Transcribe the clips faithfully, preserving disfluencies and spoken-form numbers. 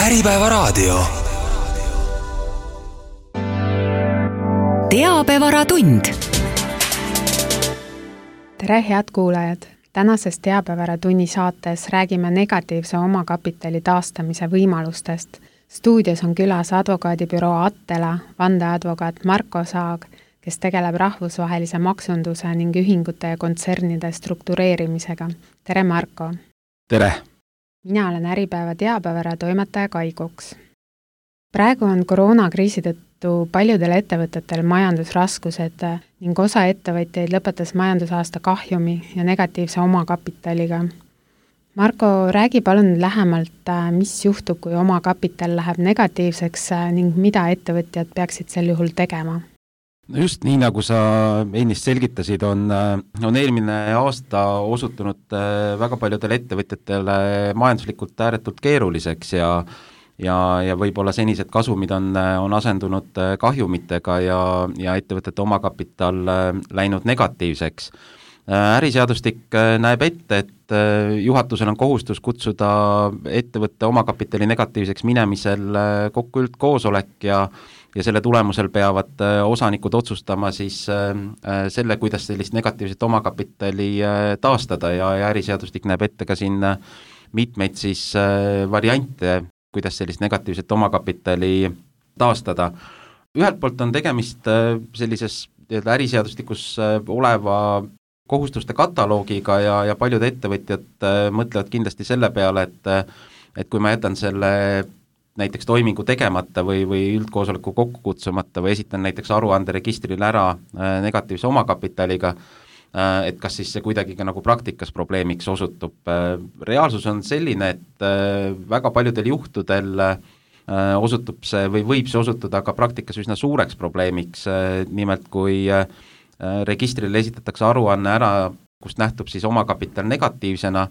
Äripäeva raadio. Teabevaratund. Tere, head kuulajad! Tänases Teabevaраtunni saates räägime negatiivse omakapitali taastamise võimalustest. Stuudios on külas advokaadibüroo Attela, vandeadvokaat Marko Saag, kes tegeleb rahvusvahelise maksunduse ning ühingute ja kontsernide struktureerimisega. Tere, Marko! Tere! Mina olen Äripäeva teabevara toimetaja Kai Koks. Praegu on koroonakriisi tõttu paljudel ettevõtetel majandusraskused ning osa ettevõtjaid lõpetas majandusaasta kahjumi ja negatiivse omakapitaliga. Marko, räägi palun lähemalt, mis juhtub, kui omakapital läheb negatiivseks ning mida ettevõtjad peaksid sel juhul tegema? No just nii, nagu sa ennist selgitasid, on, on eelmine aasta osutunud väga paljudele ettevõtjatele majanduslikult ääretult keeruliseks ja, ja, ja võib-olla senised kasumid on, on asendunud kahjumitega ja, ja ettevõtete omakapital läinud negatiivseks. Äriseadustik näeb ette, et juhatusel on kohustus kutsuda ettevõtte omakapitali negatiivseks minemisel kokku üldkoosolek ja ja selle tulemusel peavad osanikud otsustama siis selle, kuidas sellist negatiivset omakapitali taastada ja, ja äriseadustik näeb ette ka siin mitmeid siis variante, kuidas sellist negatiivset omakapitali taastada. Ühelt poolt on tegemist sellises äriseadustikus oleva kohustuste kataloogiga ja, ja paljud ettevõtjad mõtlevad kindlasti selle peale, et, et kui ma jätan selle näiteks toimingu tegemata või, või üldkoosoleku kokku kutsumata või esitan näiteks aruanderegistrile ära negatiivse omakapitaliga, et kas siis see kuidagi ka nagu praktikas probleemiks osutub. Reaalsus on selline, et väga paljudel juhtudel osutub see või võib see osutuda ka praktikas üsna suureks probleemiks, nimelt kui registrile esitatakse aruanne ära, kust nähtub siis omakapital negatiivsena,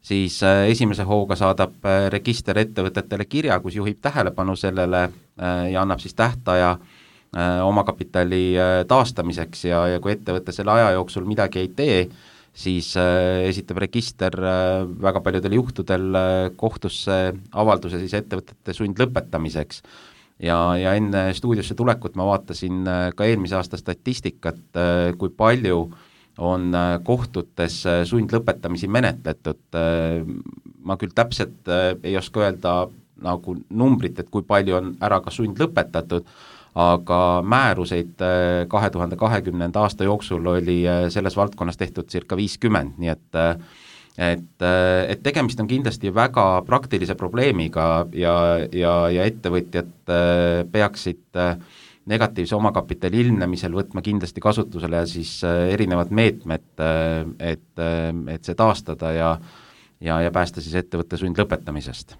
siis esimese hooga saadab register ettevõtetele kirja, kus juhib tähelepanu sellele ja annab siis tähtaja omakapitali taastamiseks ja, ja kui ettevõte selle aja jooksul midagi ei tee, siis esitab register väga paljudel juhtudel kohtusse avalduse siis ettevõtete sundlõpetamiseks. Ja, ja enne stuudiosse tulekut ma vaatasin ka eelmise aasta statistikat, kui palju on kohtutes sundlõpetamisi menetletud. Ma küll täpselt ei oska öelda nagu numbrit, et kui palju on ära ka sundlõpetatud, aga määruseid kahe tuhande kahekümnenda aasta jooksul oli selles valdkonnas tehtud circa viiskümmend, nii et, et, et tegemist on kindlasti väga praktilise probleemiga ja, ja, ja ettevõtjad peaksid negatiivse omakapitali ilmnemisel võtma kindlasti kasutusele ja siis erinevad meetmed, et, et see taastada ja, ja, ja päästa siis ettevõtte sundlõpetamisest.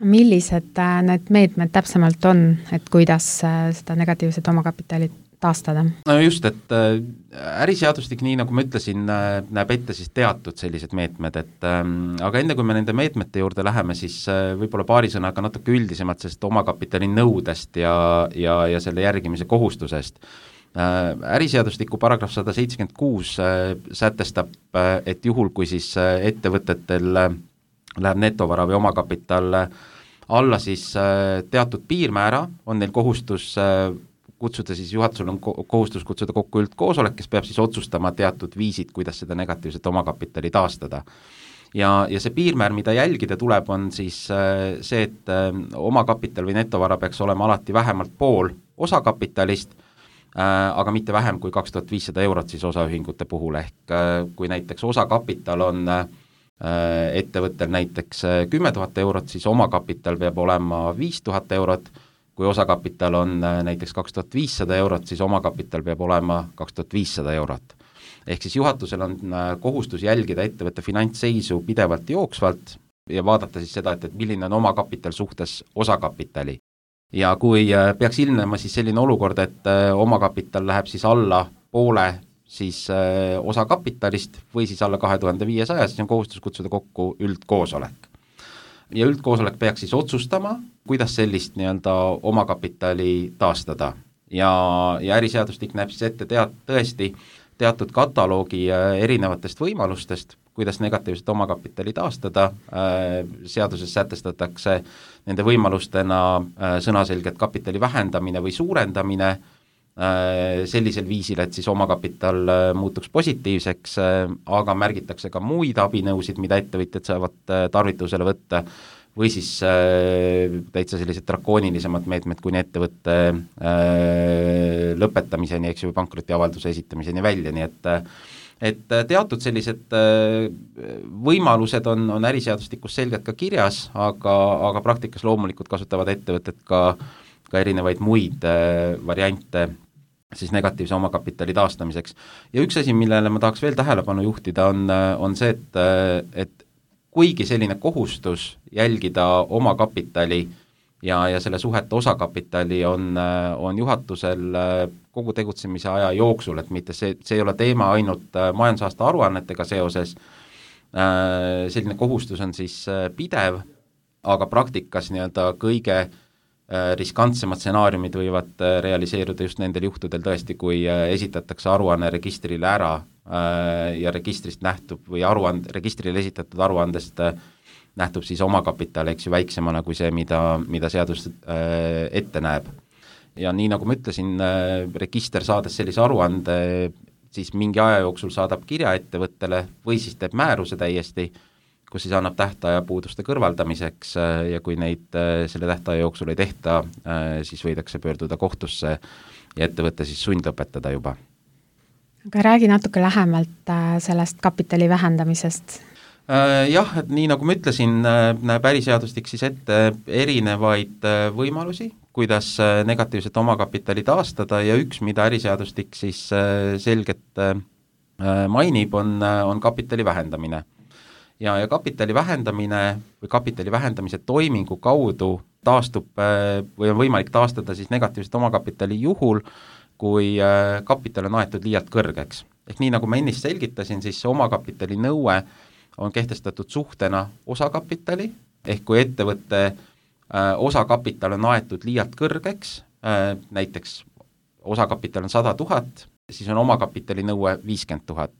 Millised need meetmed täpsemalt on, et kuidas seda negatiivset omakapitali taastada? No just, et äriseadustik, nii nagu ma ütlesin, näeb ette siis teatud sellised meetmed, et aga enne kui me nende meetmete juurde läheme, siis võib-olla paari sõnaga natuke üldisemalt sellest omakapitali nõudest ja, ja, ja selle järgimise kohustusest. Äriseadustiku paragrahv sada seitsekümmend kuus sätestab, et juhul, kui siis ettevõtetel läheb netovara või omakapital alla, siis teatud piirmäära on neil kohustus kutsuda siis, juhatusel on kohustus kutsuda kokku üldkoosolek, kes peab siis otsustama teatud viisid, kuidas seda negatiivset omakapitali taastada. Ja, ja see piirmäär, mida jälgida tuleb, on siis see, et omakapital või netovara peaks olema alati vähemalt pool osakapitalist, aga mitte vähem kui kaks tuhat viissada eurot siis osaühingute puhul, ehk kui näiteks osakapital on ettevõttel näiteks kümme tuhat eurot, siis omakapital peab olema viis tuhat eurot, kui osakapital on näiteks kaks tuhat viissada eurot, siis omakapital peab olema kaks tuhat viissada eurot. Ehk siis juhatusel on kohustus jälgida ettevõtte finantsseisu pidevalt jooksvalt ja vaadata siis seda, et, et milline on omakapital suhtes osakapitali. Ja kui peaks ilmnema siis selline olukord, et omakapital läheb siis alla poole siis osakapitalist või siis alla kahe tuhande viiesaja, siis on kohustus kutsuda kokku üldkoosolek. Ja üldkoosolek peaks siis otsustama, kuidas sellist nii-öelda omakapitali taastada. Ja, ja äriseadustik näeb siis ette tead, tõesti teatud kataloogi erinevatest võimalustest, kuidas negatiivset omakapitali taastada, seaduses sätestatakse nende võimalustena sõnaselgelt kapitali vähendamine või suurendamine sellisel viisil, et siis omakapital muutuks positiivseks, aga märgitakse ka muid abinõusid, mida ettevõtjad saavad tarvitusele võtta, või siis täitsa sellised drakoonilisemad meetmed kuni ettevõtte lõpetamiseni, eks ju, pankrotiavalduse esitamiseni välja, nii et et teatud sellised võimalused on, on äriseadustikus selgelt ka kirjas, aga, aga praktikas loomulikult kasutavad ettevõtted ka, ka erinevaid muid variante siis negatiivse omakapitali taastamiseks. Ja üks asi, millele ma tahaks veel tähelepanu juhtida, on, on see, et, et kuigi selline kohustus jälgida omakapitali ja, ja selle suhete osakapitali on, on juhatusel kogu tegutsemise aja jooksul, et mitte see, see ei ole teema ainult majandusaasta aruannetega seoses, selline kohustus on siis pidev, aga praktikas nii-öelda kõige riskantsemad stsenaariumid võivad realiseeruda just nendel juhtudel tõesti, kui esitatakse aruanne registrile ära ja registrist nähtub või aruand, registrile esitatud aruandest nähtub siis omakapital, eks ju, väiksemana kui see, mida, mida seadus ette näeb. Ja nii nagu ma ütlesin, register saades sellise aruande, siis mingi aja jooksul saadab kirja ettevõttele või siis teeb määruse täiesti, kus siis annab tähtaja puuduste kõrvaldamiseks ja kui neid selle tähtaja jooksul ei tehta, siis võidakse pöörduda kohtusse ja ettevõtte siis sundlõpetada juba. Aga räägi natuke lähemalt sellest kapitali vähendamisest. Jah, et nii nagu ma ütlesin, näeb äriseadustik siis ette erinevaid võimalusi, kuidas negatiivset omakapitali taastada ja üks, mida äriseadustik siis selgelt mainib, on, on kapitali vähendamine. Ja, ja kapitali vähendamine või kapitali vähendamise toimingu kaudu taastub või on võimalik taastada siis negatiivset omakapitali juhul, kui kapital on aetud liialt kõrgeks. Ehk nii nagu ma ennist selgitasin, siis omakapitali nõue on kehtestatud suhtena osakapitali, ehk kui ettevõtte osakapital on aetud liialt kõrgeks, näiteks osakapital on sada tuhat, siis on omakapitali nõue viiskümmend tuhat.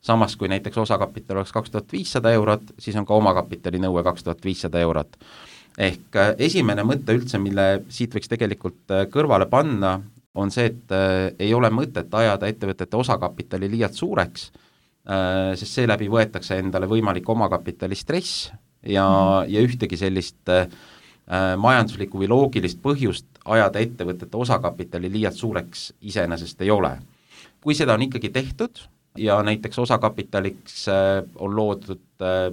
Samas kui näiteks osakapital oleks kaks tuhat viissada eurot, siis on ka omakapitali nõue kaks tuhat viissada eurot. Ehk esimene mõte üldse, mille siit võiks tegelikult kõrvale panna, on see, et ei ole mõtet ajada ettevõtete osakapitali liialt suureks, sest seeläbi võetakse endale võimalik omakapitali stress ja, ja ühtegi sellist äh, majanduslikku või loogilist põhjust ajada ettevõtete osakapitali liialt suureks iseenesest ei ole. Kui seda on ikkagi tehtud ja näiteks osakapitaliks äh, on loodud äh,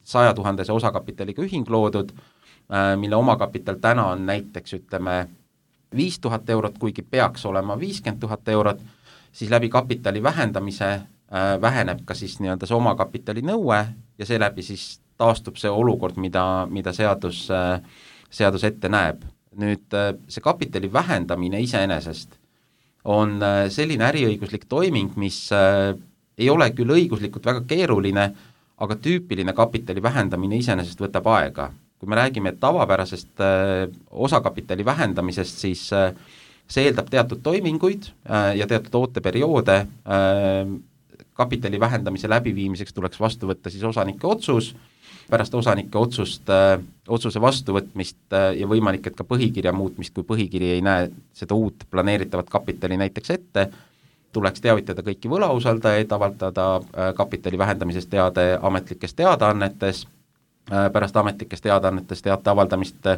saja tuhandese osakapitaliga ühing loodud, äh, mille omakapital täna on näiteks ütleme viis tuhat eurot, kuigi peaks olema viiskümmend tuhat eurot, siis läbi kapitali vähendamise väheneb ka siis nii-öelda see omakapitali nõue ja seeläbi siis taastub see olukord, mida, mida seadus, seadus ette näeb. Nüüd see kapitali vähendamine iseenesest on selline äriõiguslik toiming, mis ei ole küll õiguslikult väga keeruline, aga tüüpiline kapitali vähendamine iseenesest võtab aega. Kui me räägime tavapärasest osakapitali vähendamisest, siis see eeldab teatud toiminguid ja teatud ooteperioode. Kapitali vähendamise läbiviimiseks tuleks vastu võtta siis osanike otsus, pärast osanike otsust, otsuse vastuvõtmist ja võimalik, et ka põhikirja muutmist, kui põhikiri ei näe seda uut planeeritavat kapitali näiteks ette, tuleks teavitada kõiki võlausaldajaid, avaldada kapitali vähendamisest teade ametlikes teadaannetes, pärast ametlikes teadaannetes teate avaldamist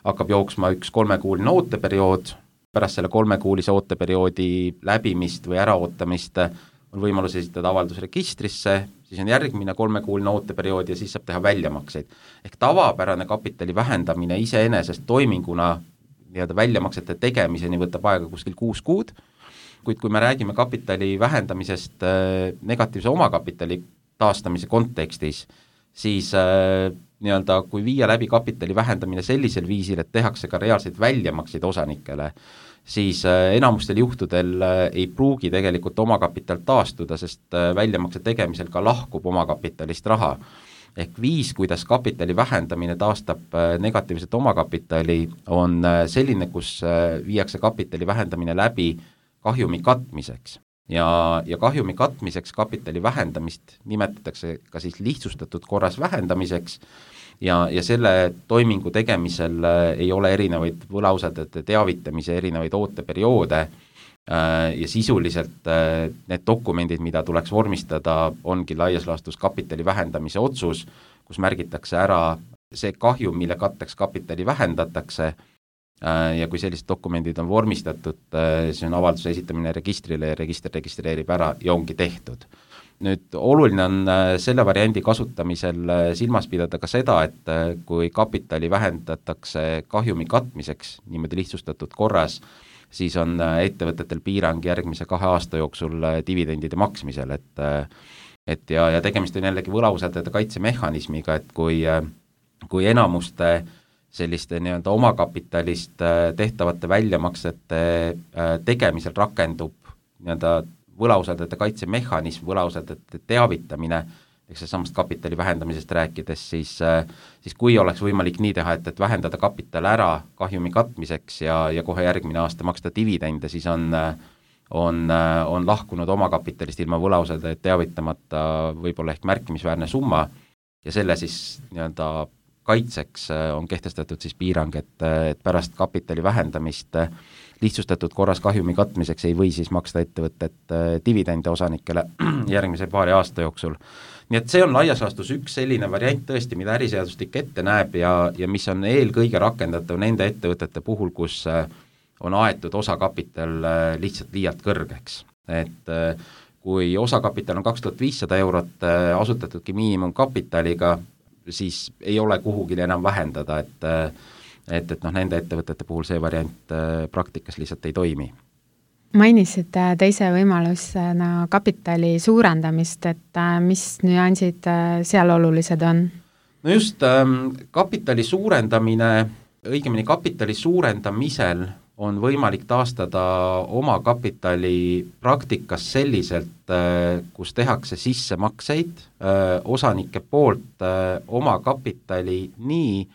hakkab jooksma üks kolmekuuline ooteperiood, pärast selle kolmekuulise ooteperioodi läbimist või äraootamist on võimalus esitada avaldus registrisse, siis on järgmine kolmekuuline ooteperiood ja siis saab teha väljamakseid. Ehk tavapärane kapitali vähendamine iseenesest toiminguna nii-öelda väljamaksete tegemiseni võtab aega kuskil kuus kuud, kuid kui me räägime kapitali vähendamisest negatiivse omakapitali taastamise kontekstis, siis nii-öelda kui viia läbi kapitali vähendamine sellisel viisil, et tehakse ka reaalseid väljamakseid osanikele, siis enamustel juhtudel ei pruugi tegelikult omakapital taastuda, sest väljamakse tegemisel ka lahkub omakapitalist raha. Ehk viis, kuidas kapitali vähendamine taastab negatiivset omakapitali, on selline, kus viiakse kapitali vähendamine läbi kahjumi katmiseks. ja, ja kahjumi katmiseks kapitali vähendamist nimetatakse ka siis lihtsustatud korras vähendamiseks ja, ja selle toimingu tegemisel ei ole erinevaid võlausaldajate teavitamise erinevaid ooteperioode ja sisuliselt need dokumendid, mida tuleks vormistada, ongi laias laastus kapitali vähendamise otsus, kus märgitakse ära see kahju, mille katteks kapitali vähendatakse ja kui sellised dokumendid on vormistatud, siis on avalduse esitamine registrile ja register registreerib ära ja ongi tehtud. Nüüd oluline on selle variandi kasutamisel silmas pidada ka seda, et kui kapitali vähendatakse kahjumi katmiseks niimoodi lihtsustatud korras, siis on ettevõtetel piirang järgmise kahe aasta jooksul dividendide maksmisel, et, et ja, ja tegemist on jällegi võlausaldajate kaitsemehhanismiga, et kui, kui enamuste selliste nii-öelda omakapitalist tehtavate väljamaksete tegemisel rakendub nii-öelda võlausaldajate kaitsemehhanism, võlausaldajate teavitamine, eks see samast kapitali vähendamisest rääkides, siis, siis kui oleks võimalik nii teha, et, et vähendada kapital ära kahjumi katmiseks ja, ja kohe järgmine aasta maksta dividende, siis on, on, on lahkunud omakapitalist ilma võlausaldajat teavitamata võib-olla ehk märkimisväärne summa ja selle siis nii-öelda kaitseks on kehtestatud siis piirang, et, et pärast kapitali vähendamist lihtsustatud korras kahjumi katmiseks ei või siis maksta ettevõtet dividende osanikele järgmise paari aasta jooksul. Nii et see on laias laastus üks selline variant tõesti, mida äriseadustik ette näeb ja, ja mis on eelkõige rakendatav nende ettevõtete puhul, kus on aetud osakapital lihtsalt liialt kõrgeks. Et kui osakapital on kaks tuhat viissada eurot asutatudki miinimumkapitaliga, siis ei ole kuhugile enam vähendada, et et, et noh, nende ettevõtete puhul see variant praktikas lihtsalt ei toimi. Mainisid teise võimalusena kapitali suurendamist, et mis nüansid seal olulised on? No just, kapitali suurendamine, õigemini kapitali suurendamisel on võimalik taastada oma kapitali praktikas selliselt, kus tehakse sissemakseid osanike poolt oma kapitali nii,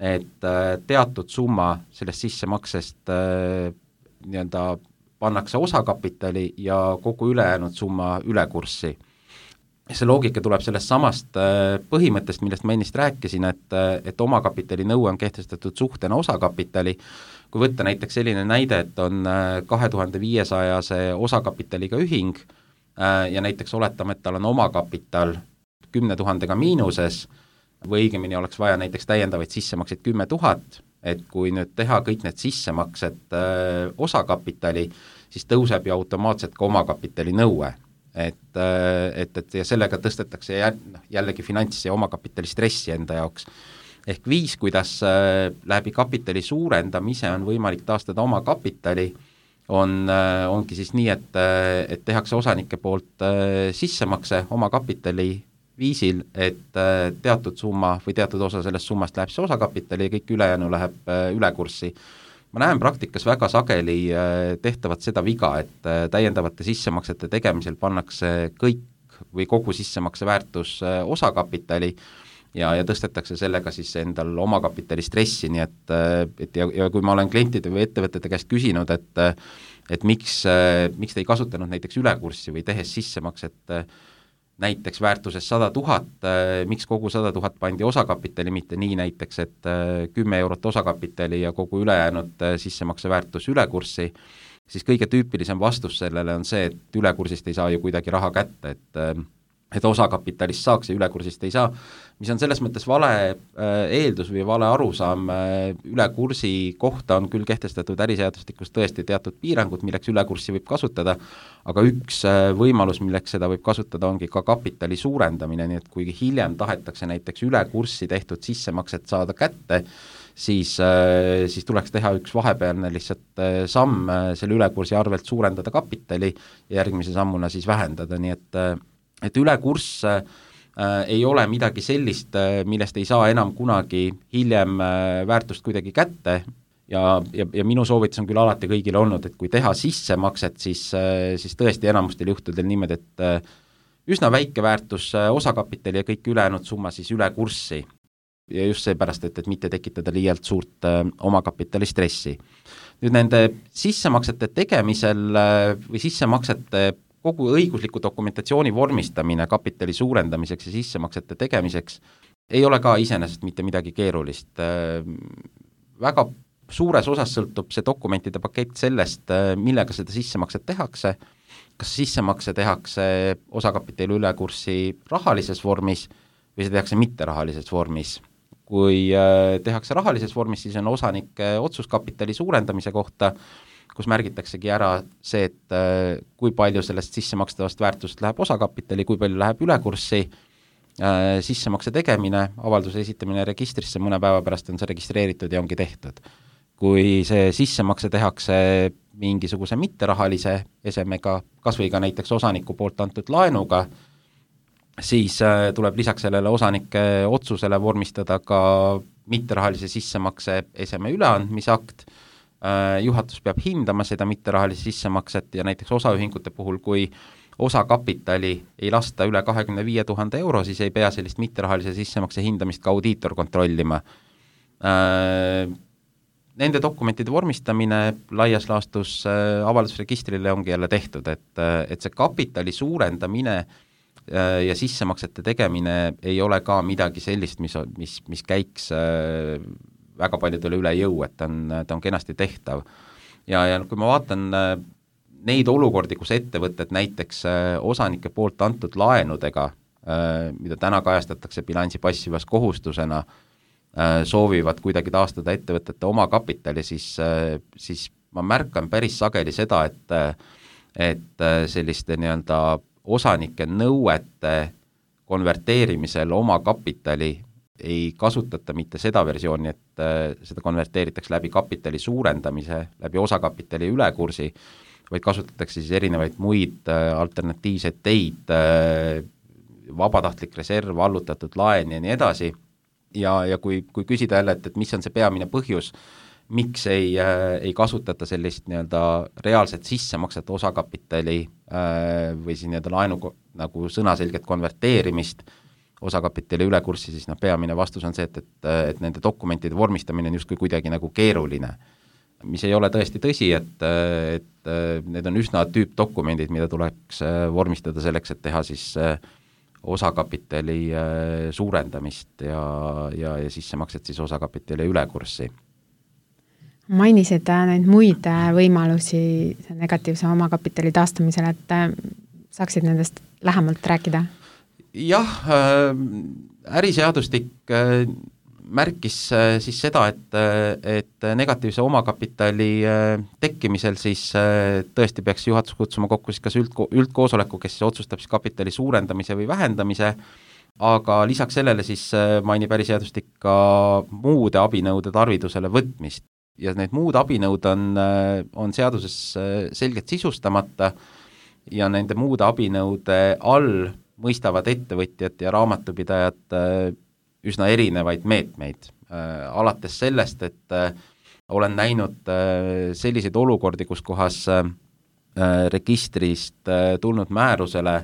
et teatud summa sellest sissemaksest nii-öelda pannakse osakapitali ja kogu ülejäänud summa ülekurssi. See loogika tuleb sellest samast põhimõttest, millest ma ennist rääkisin, et, et omakapitali nõue on kehtestatud suhtena osakapitali. Kui võtta näiteks selline näide, et on kahe tuhande viiesajase osakapitaliga ühing ja näiteks oletame, et tal on omakapital kümne tuhandega miinuses või õigemini oleks vaja näiteks täiendavaid sissemakseid kümme tuhat, et kui nüüd teha kõik need sissemaksed öö, osakapitali, siis tõuseb ju automaatselt ka omakapitali nõue. Et, et, et ja sellega tõstetakse jällegi finants- ja omakapitali stressi enda jaoks. Ehk viis, kuidas läbi kapitali suurendamise on võimalik taastada omakapitali, on, ongi siis nii, et, et tehakse osanike poolt sissemakse omakapitali viisil, et teatud summa või teatud osa sellest summast läheb see osakapitali ja kõik ülejäänu läheb ülekurssi. Ma näen praktikas väga sageli tehtavat seda viga, et täiendavate sissemaksete tegemisel pannakse kõik või kogu sissemakse väärtus osakapitali ja, ja tõstetakse sellega siis endal omakapitali stressi, nii et, et ja, ja kui ma olen klientide või ettevõtete käest küsinud, et, et miks, miks te ei kasutanud näiteks ülekurssi või tehes sissemakset näiteks väärtuses sada tuhat, miks kogu sada tuhat pandi osakapitali, mitte nii näiteks, et kümme eurot osakapitali ja kogu ülejäänud sissemakse väärtus ülekurssi, siis kõige tüüpilisem vastus sellele on see, et ülekursist ei saa ju kuidagi raha kätte, et et osakapitalist saaks ja ülekursist ei saa, mis on selles mõttes vale eeldus või vale arusaam. Ülekursi kohta on küll kehtestatud äriseadustikus tõesti teatud piirangud, milleks ülekurssi võib kasutada, aga üks võimalus, milleks seda võib kasutada, ongi ka kapitali suurendamine, nii et kui hiljem tahetakse näiteks ülekurssi tehtud sissemakset saada kätte, siis, siis tuleks teha üks vahepealne lihtsalt samm selle ülekursi arvelt suurendada kapitali ja järgmise sammuna siis vähendada, nii et et ülekurss äh, ei ole midagi sellist, millest ei saa enam kunagi hiljem äh, väärtust kuidagi kätte ja, ja, ja minu soovitus on küll alati kõigile olnud, et kui teha sissemakset, siis, äh, siis tõesti enamustel juhtudel niimoodi, et äh, üsna väike väärtus äh, osakapitali ja kõik ülejäänud summa siis üle kurssi. Ja just seepärast, et, et mitte tekitada liialt suurt äh, omakapitali stressi. Nüüd nende sissemaksete tegemisel äh, või sissemaksete kogu õigusliku dokumentatsiooni vormistamine kapitali suurendamiseks ja sissemaksete tegemiseks ei ole ka iseenesest mitte midagi keerulist. Väga suures osas sõltub see dokumentide pakett sellest, millega seda sissemakset tehakse, kas sissemakse tehakse osakapitali ülekurssi rahalises vormis või see tehakse mitterahalises vormis. Kui tehakse rahalises vormis, siis on osanike otsuskapitali suurendamise kohta, kus märgitaksegi ära see, et kui palju sellest sissemakstavast väärtust läheb osakapitali, kui palju läheb ülekurssi, sissemakse tegemine, avalduse esitamine registrisse, mõne päeva pärast on see registreeritud ja ongi tehtud. Kui see sissemakse tehakse mingisuguse mitterahalise esemega, kas või ka näiteks osaniku poolt antud laenuga, siis tuleb lisaks sellele osanike otsusele vormistada ka mitterahalise sissemakse eseme üleandmise akt. Juhatus peab hindama seda mitterahalise sissemakset ja näiteks osaühingute puhul, kui osakapitali ei lasta üle kahekümne viie tuhande euro, siis ei pea sellist mitterahalise sissemakse hindamist ka audiitor kontrollima. Nende dokumentide vormistamine laias laastus avaldusregistrile ongi jälle tehtud, et, et see kapitali suurendamine ja sissemaksete tegemine ei ole ka midagi sellist, mis, mis, mis käiks väga paljudele üle jõu, et ta on, ta on kenasti tehtav. Ja, ja kui ma vaatan neid olukordi, kus ettevõtted näiteks osanike poolt antud laenudega, mida täna kajastatakse bilansi passivas kohustusena, soovivad kuidagi taastada ettevõtete oma kapitali, siis, siis ma märkan päris sageli seda, et, et selliste nii-öelda osanike nõuete konverteerimisel oma kapitali ei kasutata mitte seda versiooni, et seda konverteeritakse läbi kapitali suurendamise, läbi osakapitali ülekursi, vaid kasutatakse siis erinevaid muid alternatiivseid teid, vabatahtlik reserv, allutatud laen ja nii edasi. Ja, ja kui, kui küsida jälle, et, et mis on see peamine põhjus, miks ei, äh, ei kasutata sellist nii-öelda reaalset sissemakset osakapitali äh, või siis nii-öelda laenu nagu sõnaselget konverteerimist osakapitali ülekurssi, siis noh, peamine vastus on see, et, et, et nende dokumentide vormistamine on justkui kuidagi nagu keeruline, mis ei ole tõesti tõsi, et, et need on üsna tüüpdokumendid, mida tuleks vormistada selleks, et teha siis äh, osakapitali suurendamist ja, ja, ja sissemakset siis osakapitali ülekurssi. Mainisid neid muid võimalusi negatiivse omakapitali taastamisel, et saaksid nendest lähemalt rääkida? Jah, äriseadustik märkis siis seda, et, et negatiivse omakapitali tekkimisel siis tõesti peaks juhatus kutsuma kokku siis kas üldko- üldkoosoleku, kes siis otsustab siis kapitali suurendamise või vähendamise, aga lisaks sellele siis mainib äriseadustik ka muude abinõude tarvidusele võtmist. Ja need muud abinõud on, on seaduses selgelt sisustamata ja nende muude abinõude all mõistavad ettevõtjad ja raamatupidajad üsna erinevaid meetmeid, äh, alates sellest, et äh, olen näinud äh, selliseid olukordi, kus kohas äh, registrist äh, tulnud määrusele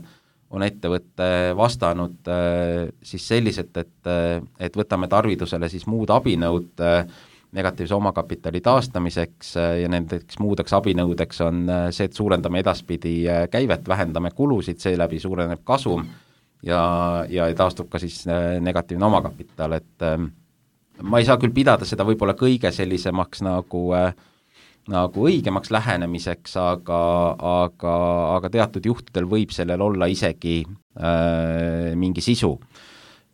on ettevõtte vastanud äh, siis selliselt, et, äh, et võtame tarvidusele siis muud abinõud äh, negatiivse omakapitali taastamiseks äh, ja nendeks muudeks abinõudeks on äh, see, et suurendame edaspidi äh, käivet, vähendame kulusid, seeläbi suureneb kasum, ja, ja taastub ka siis negatiivne omakapital, et äh, ma ei saa küll pidada seda võib-olla kõige sellisemaks nagu, äh, nagu õigemaks lähenemiseks, aga, aga, aga teatud juhtudel võib sellel olla isegi äh, mingi sisu.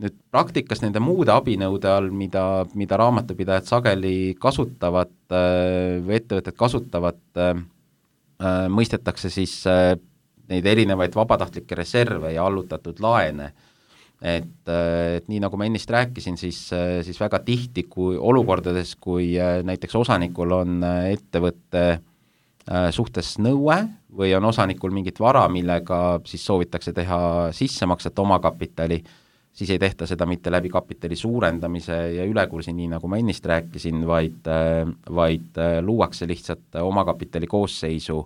Nüüd praktikas nende muude abinõude all, mida, mida raamatupidajad sageli kasutavad äh, või ettevõtted kasutavad, äh, äh, mõistetakse siis äh, neid erinevaid vabatahtlikke reserve ja allutatud laene, et, et nii nagu ma ennist rääkisin, siis, siis väga tihti, kui olukordades, kui näiteks osanikul on ettevõtte suhtes nõue või on osanikul mingit vara, millega siis soovitakse teha sissemakset omakapitali, siis ei tehta seda mitte läbi kapitali suurendamise ja ülekursi, nii nagu ma ennist rääkisin, vaid, vaid luuakse lihtsalt omakapitali koosseisu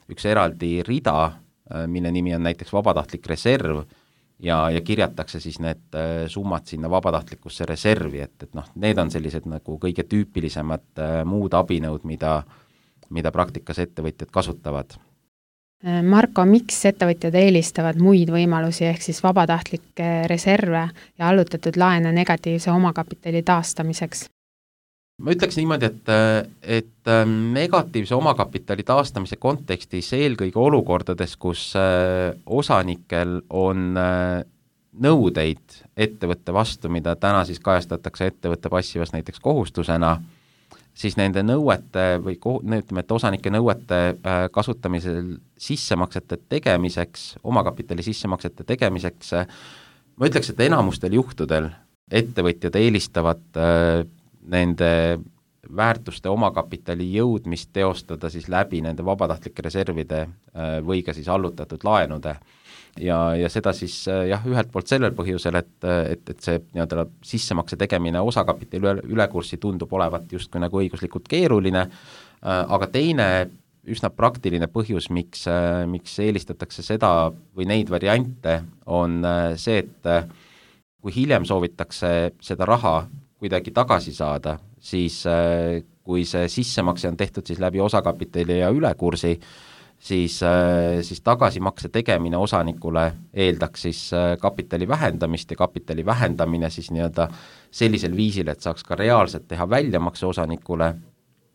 üks eraldi rida, mille nimi on näiteks vabatahtlik reserv ja, ja kirjatakse siis need summad sinna vabatahtlikusse reservi, et, et noh, need on sellised nagu kõige tüüpilisemad muud abinõud, mida, mida praktikas ettevõtjad kasutavad. Marko, miks ettevõtjad eelistavad muid võimalusi ehk siis vabatahtlikke reserve ja allutatud laene negatiivse omakapitali taastamiseks? Ma ütleks niimoodi, et, et negatiivse omakapitali taastamise kontekstis eelkõige olukordades, kus osanikel on nõudeid ettevõtte vastu, mida täna siis kajastatakse ettevõtte passivas näiteks kohustusena, siis nende nõuete või ütleme, et osanike nõuete kasutamisel sissemaksete tegemiseks, omakapitali sissemaksete tegemiseks, ma ütleks, et enamustel juhtudel ettevõtjad eelistavad nende väärtuste omakapitali jõudmist teostada siis läbi nende vabatahtlike reservide või ka siis allutatud laenude. Ja, ja seda siis jah, ühelt poolt sellel põhjusel, et, et, et see nii-öelda sissemakse tegemine osakapitali üle, ülekurssi tundub olevat justkui nagu õiguslikult keeruline, aga teine üsna praktiline põhjus, miks, miks eelistatakse seda või neid variante, on see, et kui hiljem soovitakse seda raha kuidagi tagasi saada, siis kui see sissemakse on tehtud siis läbi osakapitali ja ülekursi, siis, siis tagasimakse tegemine osanikule eeldaks siis kapitali vähendamist ja kapitali vähendamine siis nii-öelda sellisel viisil, et saaks ka reaalselt teha väljamakse osanikule,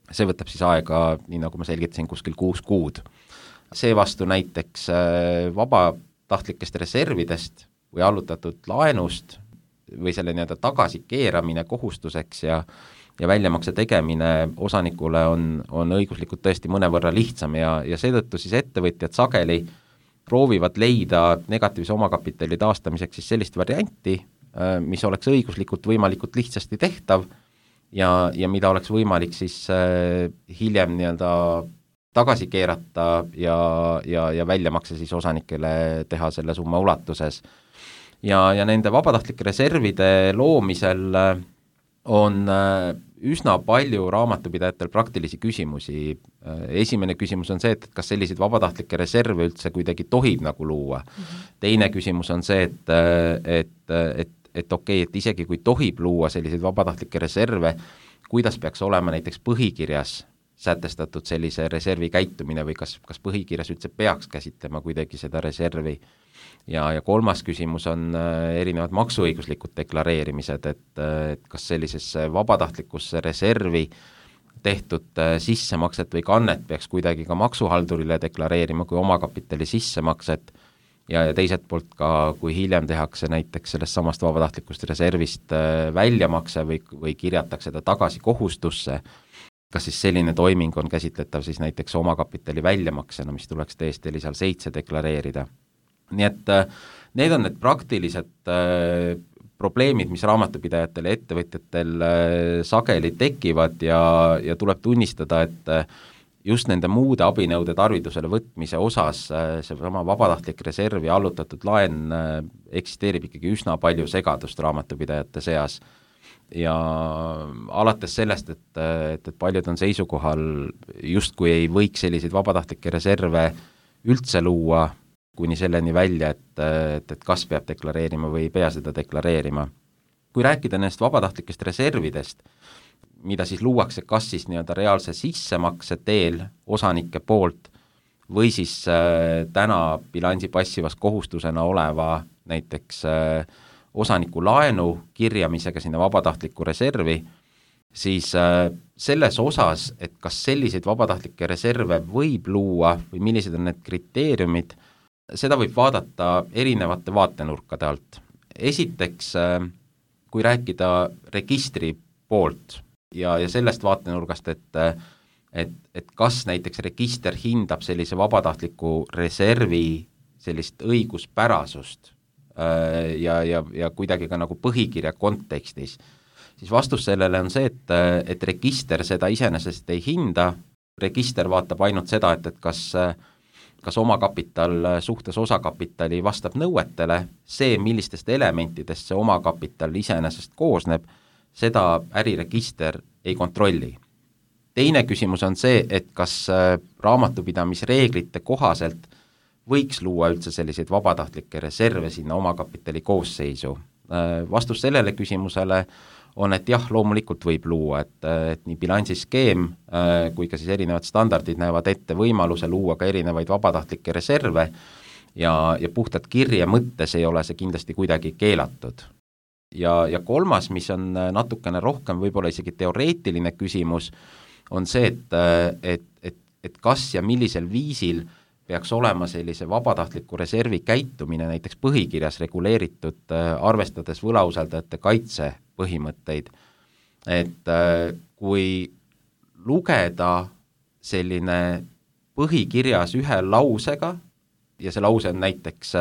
see võtab siis aega, nii nagu ma selgitasin, kuskil kuus kuud. Seevastu näiteks vabatahtlikest reservidest või allutatud laenust või selle nii-öelda tagasi keeramine kohustuseks ja ja väljamakse tegemine osanikule on, on õiguslikult tõesti mõnevõrra lihtsam ja, ja seetõttu siis ettevõtjad sageli proovivad leida negatiivse omakapitali taastamiseks siis sellist varianti, mis oleks õiguslikult võimalikult lihtsasti tehtav ja, ja mida oleks võimalik siis hiljem nii-öelda tagasi keerata ja, ja, ja väljamakse siis osanikele teha selle summa ulatuses. Ja, ja nende vabatahtlike reservide loomisel on üsna palju raamatupidajatel praktilisi küsimusi. Esimene küsimus on see, et kas selliseid vabatahtlikke reserve üldse kuidagi tohib nagu luua. Mm-hmm. Teine küsimus on see, et, et, et, et okei, et isegi kui tohib luua selliseid vabatahtlikke reserve, kuidas peaks olema näiteks põhikirjas sätestatud sellise reservi käitumine või kas, kas põhikirjas üldse peaks käsitlema kuidagi seda reservi. Ja, ja kolmas küsimus on erinevad maksuõiguslikud deklareerimised, et, et kas sellisesse vabatahtlikusse reservi tehtud sissemakset või kannet peaks kuidagi ka maksuhaldurile deklareerima kui omakapitali sissemakset ja, ja teiselt poolt ka, kui hiljem tehakse näiteks sellest samast vabatahtlikust reservist väljamakse või, või kirjatakse ta tagasi kohustusse, kas siis selline toiming on käsitletav siis näiteks omakapitali väljamaksena, mis tuleks T S D lisal seitse deklareerida. Nii et need on need praktilised äh, probleemid, mis raamatupidajatel ja ettevõtjatel äh, sageli tekivad ja, ja tuleb tunnistada, et äh, just nende muude abinõude tarvidusele võtmise osas äh, see sama vabatahtlik reserv ja allutatud laen äh, eksisteerib ikkagi üsna palju segadust raamatupidajate seas. Ja alates sellest, et, et, et paljud on seisukohal justkui ei võiks selliseid vabatahtlikke reserve üldse luua, kuni selleni välja, et, et, et kas peab deklareerima või ei pea seda deklareerima. Kui rääkida nendest vabatahtlikest reservidest, mida siis luuakse kas siis nii-öelda reaalse sissemakse teel osanike poolt või siis äh, täna bilansi passivas kohustusena oleva näiteks äh, osaniku laenu kirjamisega sinna vabatahtliku reservi, siis äh, selles osas, et kas selliseid vabatahtlikke reserve võib luua või millised on need kriteeriumid, seda võib vaadata erinevate vaatenurkade alt. Esiteks, kui rääkida registri poolt ja, ja sellest vaatenurgast, et, et, et kas näiteks register hindab sellise vabatahtliku reservi sellist õiguspärasust ja, ja, ja kuidagi ka nagu põhikirja kontekstis, siis vastus sellele on see, et, et register seda iseenesest ei hinda, register vaatab ainult seda, et, et kas kas omakapital suhtes osakapitali vastab nõuetele, see, millistest elementidest see omakapital iseenesest koosneb, seda äriregister ei kontrolli. Teine küsimus on see, et kas raamatupidamisreeglite kohaselt võiks luua üldse selliseid vabatahtlikke reserve sinna omakapitali koosseisu. Vastus sellele küsimusele on, et jah, loomulikult võib luua, et, et nii bilansiskeem kui ka siis erinevad standardid näevad ette võimaluse luua ka erinevaid vabatahtlikke reserve ja, ja puhtalt kirje mõttes ei ole see kindlasti kuidagi keelatud. Ja, ja kolmas, mis on natukene rohkem võib-olla isegi teoreetiline küsimus, on see, et, et, et, et kas ja millisel viisil peaks olema sellise vabatahtliku reservi käitumine näiteks põhikirjas reguleeritud, arvestades võlausaldajate kaitse põhimõtteid. Et kui lugeda selline põhikirjas ühe lausega ja see lause on näiteks,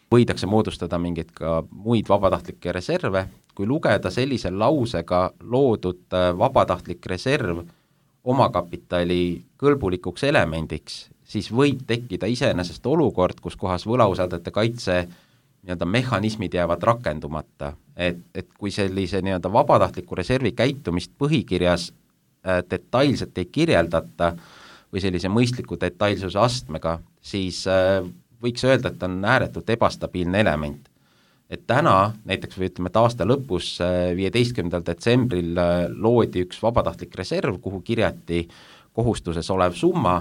võidakse moodustada mingeid ka muid vabatahtlikke reserve, kui lugeda sellise lausega loodud vabatahtlik reserv omakapitali kõlbulikuks elemendiks, siis võib tekkida iseenesest olukord, kus kohas võlausaldajate kaitse nii-öelda mehhanismid jäävad rakendumata. Et, et kui sellise nii-öelda vabatahtliku reservi käitumist põhikirjas äh, detailselt ei kirjeldata või sellise mõistliku detailsuse astmega, siis äh, võiks öelda, et on ääretult ebastabiilne element. Et täna, näiteks või ütleme, et aasta lõpus viieteistkümnendal detsembril loodi üks vabatahtlik reserv, kuhu kirjati kohustuses olev summa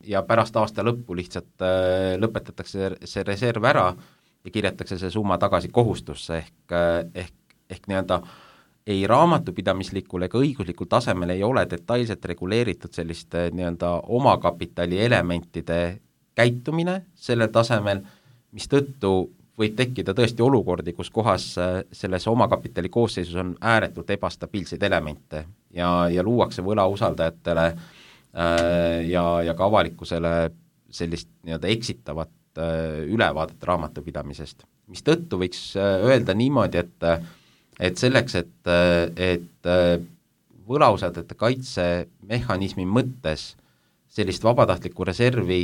ja pärast aasta lõppu lihtsalt lõpetatakse see reserv ära ja kirjatakse see summa tagasi kohustusse ehk, ehk, ehk nii-öelda ei raamatupidamislikul ega õiguslikul tasemel ei ole detailselt reguleeritud selliste nii-öelda omakapitali elementide käitumine sellel tasemel, mis tõttu võib tekkida tõesti olukordi, kus kohas selles omakapitali koosseisus on ääretult ebastabiilseid elemente ja, ja luuakse võlausaldajatele äh, ja, ja ka avalikkusele sellist nii-öelda eksitavat äh, ülevaadet raamatupidamisest. Mis tõttu võiks öelda niimoodi, et, et selleks, et, et võlausaldajate kaitsemehhanismi mõttes sellist vabatahtlikku reservi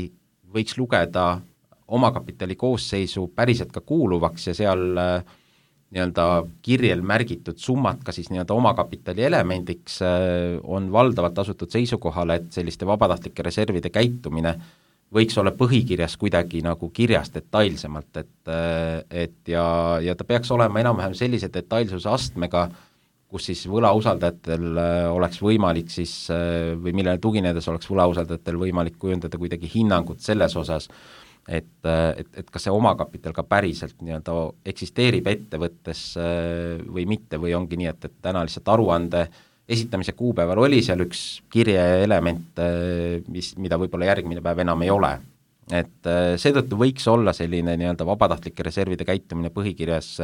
võiks lugeda omakapitali koosseisu päriselt ka kuuluvaks ja seal äh, nii-öelda kirjel märgitud summad ka siis nii-öelda omakapitali elemendiks äh, on valdavalt asutud seisukohale, et selliste vabatahtlike reservide käitumine võiks olla põhikirjas kuidagi nagu kirjas detailsemalt, et, äh, et ja, ja ta peaks olema enam-vähem sellise detailsuse astmega, kus siis võlausaldajatel oleks võimalik siis, või millele tuginedes oleks võlausaldajatel võimalik kujundada kuidagi hinnangut selles osas, et, et, et kas see omakapital ka päriselt nii-öelda eksisteerib ettevõttes või mitte, või ongi nii, et, et täna lihtsalt aruande esitamise kuupäeval oli seal üks kirjeelement, mis, mida võib-olla järgmine päev enam ei ole. Et seetõttu võiks olla selline nii-öelda vabatahtlike reservide käitumine põhikirjas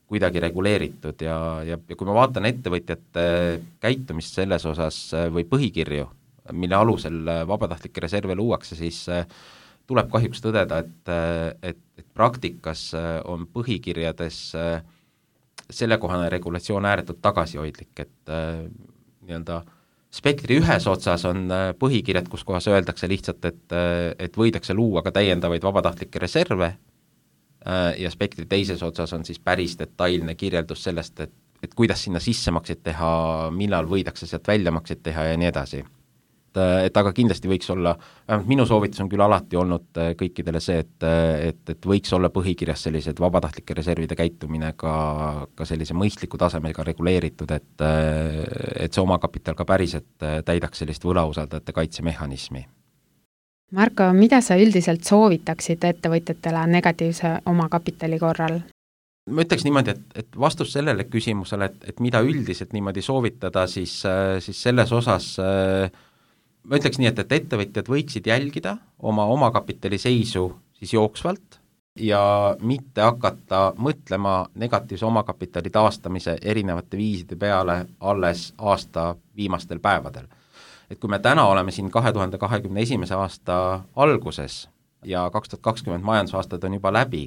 kuidagi reguleeritud ja, ja, ja kui ma vaatan ettevõtjate käitumist selles osas või põhikirju, mille alusel vabatahtlikke reserve luuakse, siis tuleb kahjuks tõdeda, et, et, et praktikas on põhikirjades sellekohane regulatsioon ääretult tagasihoidlik, et nii-öelda spektri ühes otsas on põhikirjad, kus kohas öeldakse lihtsalt, et, et võidakse luua ka täiendavaid vabatahtlikke reserve ja spektri teises otsas on siis päris detailne kirjeldus sellest, et, et kuidas sinna sissemakseid teha, millal võidakse sealt väljamakseid teha ja nii edasi. Et aga kindlasti võiks olla, vähemalt minu soovitus on küll alati olnud kõikidele see, et, et, et võiks olla põhikirjas sellised vabatahtlike reservide käitumine ka, ka sellise mõistliku tasemega reguleeritud, et, et see omakapital ka päriselt täidaks sellist võlausaldajate kaitsemehhanismi. Marko, mida sa üldiselt soovitaksid ettevõtjatele negatiivse omakapitali korral? Ma ütleks niimoodi, et, et vastus sellele küsimusele, et, et mida üldiselt niimoodi soovitada, siis, siis selles osas ma ütleks nii, et, et ettevõtjad võiksid jälgida oma omakapitali seisu siis jooksvalt ja mitte hakata mõtlema negatiivse omakapitali taastamise erinevate viiside peale alles aasta viimastel päevadel. Et kui me täna oleme siin kahe tuhande kahekümne esimese aasta alguses ja kaks tuhat kakskümmend majandusaastad on juba läbi,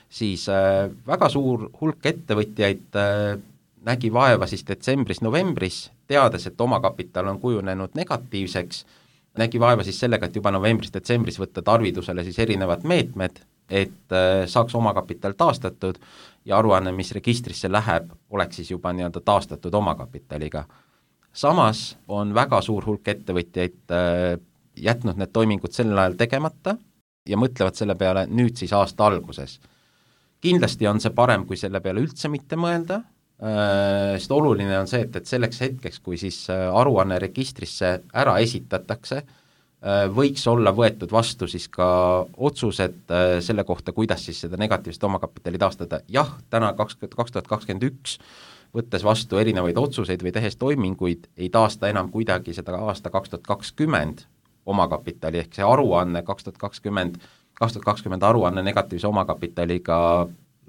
siis äh, väga suur hulk ettevõtjaid äh, nägi vaeva siis detsembris-novembris, teades, et omakapital on kujunenud negatiivseks, nägi vaeva siis sellega, et juba novembris-detsembris võtta tarvidusele siis erinevad meetmed, et äh, saaks omakapital taastatud ja aruanne, mis registrisse läheb, oleks siis juba nii-öelda taastatud omakapitaliga. Samas on väga suur hulk ettevõtjaid äh, jätnud need toimingud sellel ajal tegemata ja mõtlevad selle peale nüüd siis aasta alguses. Kindlasti on see parem, kui selle peale üldse mitte mõelda, sest oluline on see, et, et selleks hetkeks, kui siis aruanne registrisse ära esitatakse, võiks olla võetud vastu siis ka otsused selle kohta, kuidas siis seda negatiivset omakapitali taastada. Jah, täna kaks tuhat kakskümmend üks võttes vastu erinevaid otsuseid või tehes toiminguid, ei taasta enam kuidagi seda aasta kaks tuhat kakskümmend omakapitali, ehk see aruanne kaks tuhat kakskümmend, kaks tuhat kakskümmend aruanne negatiivse omakapitaliga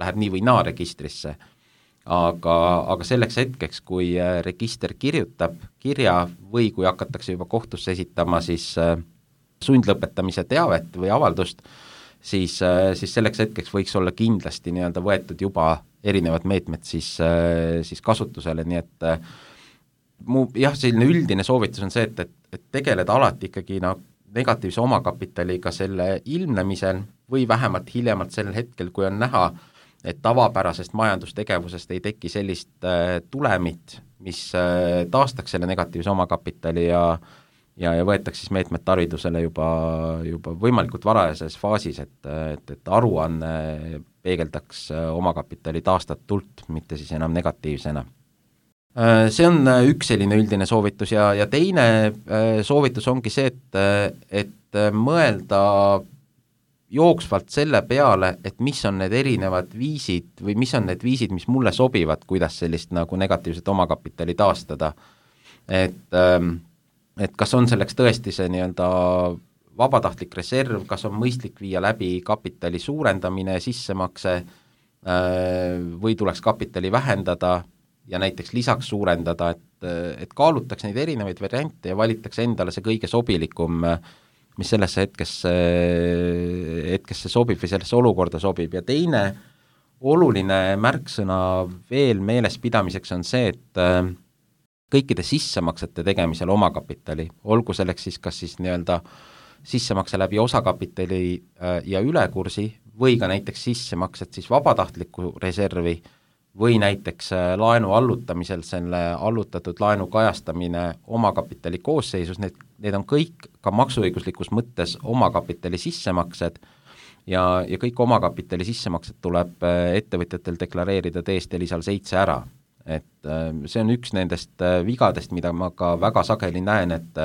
läheb nii või naa registrisse. Aga, aga selleks hetkeks, kui register kirjutab kirja või kui hakatakse juba kohtusse esitama siis sundlõpetamise teavet või avaldust, siis, siis selleks hetkeks võiks olla kindlasti nii-öelda võetud juba erinevad meetmed siis, siis kasutusele, nii et mu jah, selline üldine soovitus on see, et, et, et tegeleda alati ikkagi no, negatiivse omakapitaliga selle ilmnemisel või vähemalt hiljemalt sellel hetkel, kui on näha, et tavapärasest majandustegevusest ei teki sellist äh, tulemit, mis äh, taastaks selle negatiivse omakapitali ja, ja, ja võetaks siis meetmed tarvidusele juba, juba võimalikult varajases faasis, et, et, et aruanne peegeldaks äh, omakapitali taastatult, mitte siis enam negatiivsena. Äh, see on üks selline üldine soovitus ja, ja teine äh, soovitus ongi see, et, et mõelda jooksvalt selle peale, et mis on need erinevad viisid või mis on need viisid, mis mulle sobivad, kuidas sellist nagu negatiivset omakapitali taastada. Et, et kas on selleks tõesti see nii-öelda vabatahtlik reserv, kas on mõistlik viia läbi kapitali suurendamine, sissemakse või tuleks kapitali vähendada ja näiteks lisaks suurendada, et, et kaalutaks neid erinevaid variante ja valitaks endale see kõige sobilikum mis sellesse hetkesse, hetkesse sobib või sellesse olukorda sobib ja teine oluline märksõna veel meeles pidamiseks on see, et kõikide sissemaksete tegemisel omakapitali, olgu selleks siis kas siis nii-öelda sissemakse läbi osakapitali ja ülekursi või ka näiteks sissemaksed siis vabatahtliku reservi või näiteks laenu allutamisel selle allutatud laenu kajastamine omakapitali koosseisus, need, need on kõik ka maksuõiguslikus mõttes omakapitali sissemaksed ja, ja kõik omakapitali sissemaksed tuleb ettevõtjatel deklareerida T S T lisal seitse ära. Et see on üks nendest vigadest, mida ma ka väga sageli näen, et,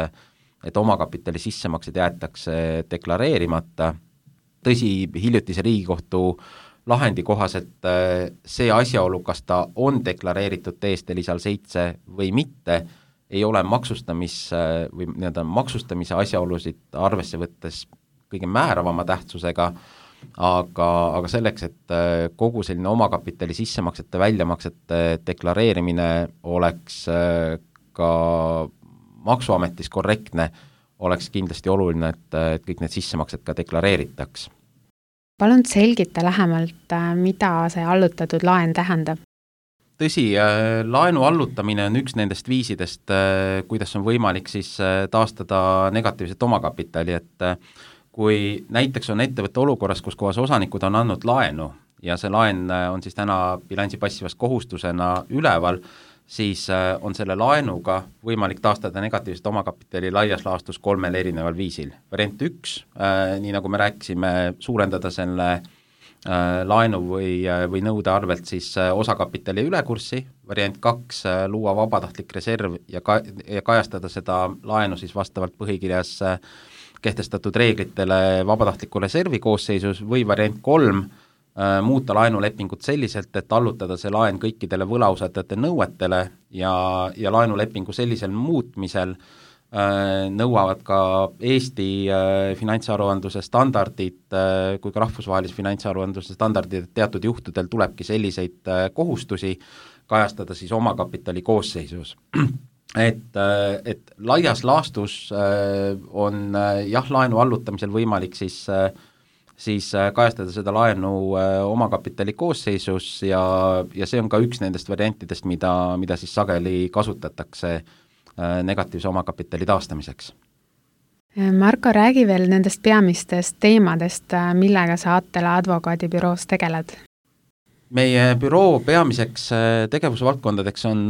et omakapitali sissemaksed jäetakse deklareerimata. Tõsi, hiljutise Riigikohtu lahendi kohaselt see asjaolu, kas ta on deklareeritud T S T lisal seitse või mitte, ei ole maksustamis, või nii-öelda maksustamise asjaolusid arvesse võttes kõige määravama tähtsusega, aga, aga selleks, et kogu selline omakapitali sissemaksete, väljamaksete deklareerimine oleks ka maksuametis korrektne, oleks kindlasti oluline, et, et kõik need sissemaksed ka deklareeritaks. Palun selgita lähemalt, mida see allutatud laen tähendab? Tõsi, laenu allutamine on üks nendest viisidest, kuidas on võimalik siis taastada negatiivset omakapitali, et kui näiteks on ettevõtte olukorras, kus kohas osanikud on andnud laenu ja see laen on siis täna bilansi passivas kohustusena üleval, siis on selle laenuga võimalik taastada negatiivset omakapitali laias laastus kolmel erineval viisil. Variant üks, nii nagu me rääkisime, suurendada selle laenu või, või nõude arvelt siis osakapitali ülekurssi, variant kaks, luua vabatahtlik reserv ja, ka, ja kajastada seda laenu siis vastavalt põhikirjas kehtestatud reeglitele vabatahtliku reservi koosseisus või variant kolm, muuta laenulepingut selliselt, et allutada see laen kõikidele võlausaldajate nõuetele ja, ja laenulepingu sellisel muutmisel äh, nõuavad ka Eesti äh, finantsaruandluse standardid äh, kui ka rahvusvahelise finantsaruandluse standardid, et teatud juhtudel tulebki selliseid äh, kohustusi kajastada siis omakapitali koosseisus. et, äh, et laias laastus äh, on äh, jah, laenu allutamisel võimalik siis äh, siis kajastada seda laenu omakapitali koosseisus ja, ja see on ka üks nendest variantidest, mida, mida siis sageli kasutatakse negatiivse omakapitali taastamiseks. Marko, räägi veel nendest peamistest teemadest, millega sa Attela advokaadibüroos tegeled? Meie büroo peamiseks tegevusvaldkondadeks on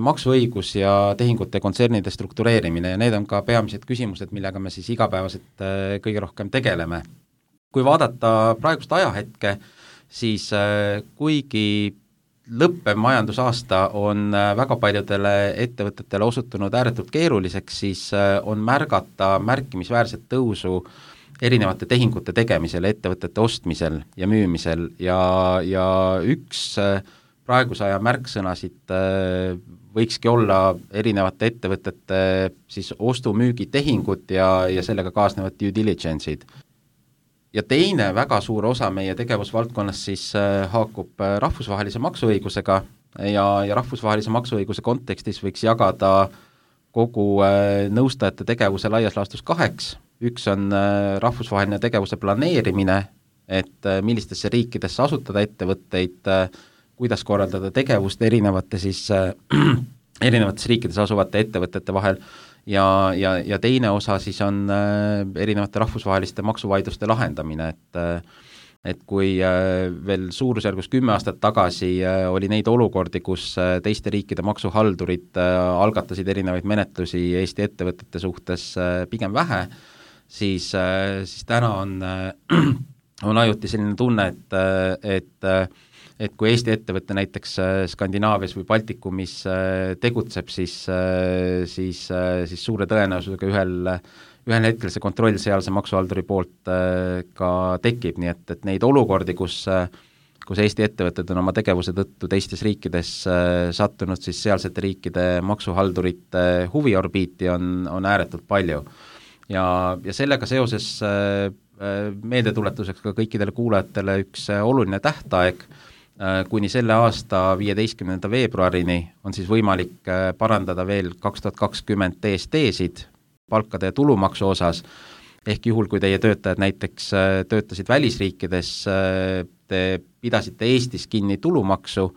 maksuõigus ja tehingute kontsernide struktureerimine ja need on ka peamised küsimused, millega me siis igapäevaselt kõige rohkem tegeleme. Kui vaadata praegust ajahetke, siis kuigi lõppev majandusaasta on väga paljudele ettevõtetele osutunud ääretult keeruliseks, siis on märgata märkimisväärset tõusu erinevate tehingute tegemisel, ettevõtete ostmisel ja müümisel ja, ja üks praeguse aja märksõnasid võikski olla erinevate ettevõtete siis ostu-müügitehingud ja, ja sellega kaasnevad due diligence'id. Ja teine väga suur osa meie tegevusvaldkonnas siis haakub rahvusvahelise maksuõigusega ja, ja rahvusvahelise maksuõiguse kontekstis võiks jagada kogu nõustajate tegevuse laias laastus kaheks. Üks on rahvusvaheline tegevuse planeerimine, et millistesse riikidesse asutada ettevõtteid, kuidas korraldada tegevust erinevate siis, erinevates riikides asuvate ettevõtete vahel ja, ja, ja teine osa siis on erinevate rahvusvaheliste maksuvaidluste lahendamine, et, et kui veel suurusjärgus kümme aastat tagasi oli neid olukordi, kus teiste riikide maksuhaldurid algatasid erinevaid menetlusi Eesti ettevõtete suhtes pigem vähe, siis, siis täna on, on ajuti selline tunne, et, et et kui Eesti ettevõtte näiteks Skandinaavias või Baltikumis tegutseb, siis, siis, siis suure tõenäosusega ühel, ühel hetkel see kontroll sealse maksuhalduri poolt ka tekib, nii et, et neid olukordi, kus, kus Eesti ettevõtted on oma tegevuse tõttu teistes riikides sattunud, siis sealsete riikide maksuhaldurite huviorbiiti on, on ääretult palju. Ja, ja sellega seoses meeldetuletuseks ka kõikidele kuulajatele üks oluline tähtaeg, kuni selle aasta viieteistkümnenda veebruarini on siis võimalik parandada veel kaks tuhat kakskümmend D S T-sid palkade ja tulumaksu osas, ehk juhul, kui teie töötajad näiteks töötasid välisriikides, te pidasite Eestis kinni tulumaksu,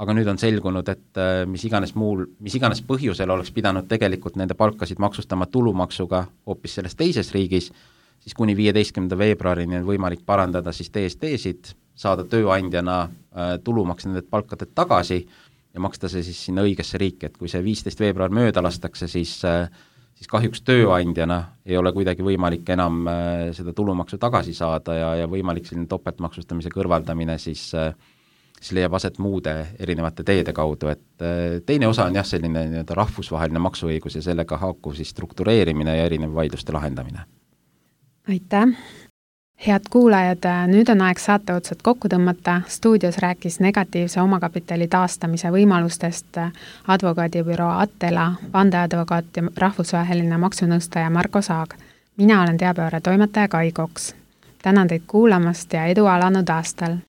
aga nüüd on selgunud, et mis iganes muul, mis iganes põhjusel oleks pidanud tegelikult nende palkasid maksustama tulumaksuga hoopis selles teises riigis, siis kuni viieteistkümnenda veebruarini on võimalik parandada siis D S T-sid, saada tööandjana äh, tulumaks nendelt palkadelt tagasi ja maksta see siis sinna õigesse riiki, et kui see viisteist veebruar mööda lastakse, siis, äh, siis kahjuks tööandjana ei ole kuidagi võimalik enam äh, seda tulumaksu tagasi saada ja, ja võimalik selline topeltmaksustamise kõrvaldamine siis, äh, siis leiab aset muude erinevate teede kaudu, et äh, teine osa on jah, selline nii-öelda rahvusvaheline maksuõigus ja sellega haakuv siis struktureerimine ja erinev vaidluste lahendamine. Aitäh! Head kuulajad, nüüd on aeg saate otsad kokku tõmmata. Stuudios rääkis negatiivse omakapitali taastamise võimalustest advokaadibüroo Attela, vandeadvokaat ja rahvusvaheline maksunõustaja Marko Saag. Mina olen teabevaara toimetaja Kai Koks. Tänan teid kuulamast ja edu alanud aastal!